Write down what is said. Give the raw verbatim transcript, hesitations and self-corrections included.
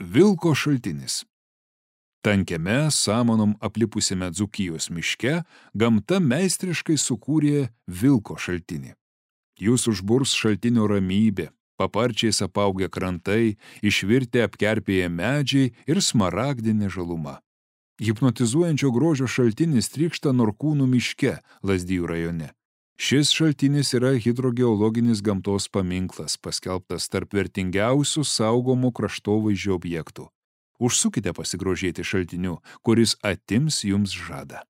Vilko šaltinis. Tankiame, samanom aplipusiame Dzūkijos miške gamta meistriškai sukūrė Vilko šaltinį. Jūs užburs šaltinio ramybė, paparčiais apaugę krantai, išvirtę apkerpėję medžiai ir smaragdinė žaluma. Hipnotizuojančio grožio šaltinis trykšta Norkūnų miške, Lazdijų rajone. Šis šaltinis yra hidrogeologinis gamtos paminklas, paskelbtas tarp vertingiausių saugomų kraštovaizdžio objektų. Užsukite pasigrožėti šaltiniu, kuris atims jums žadą.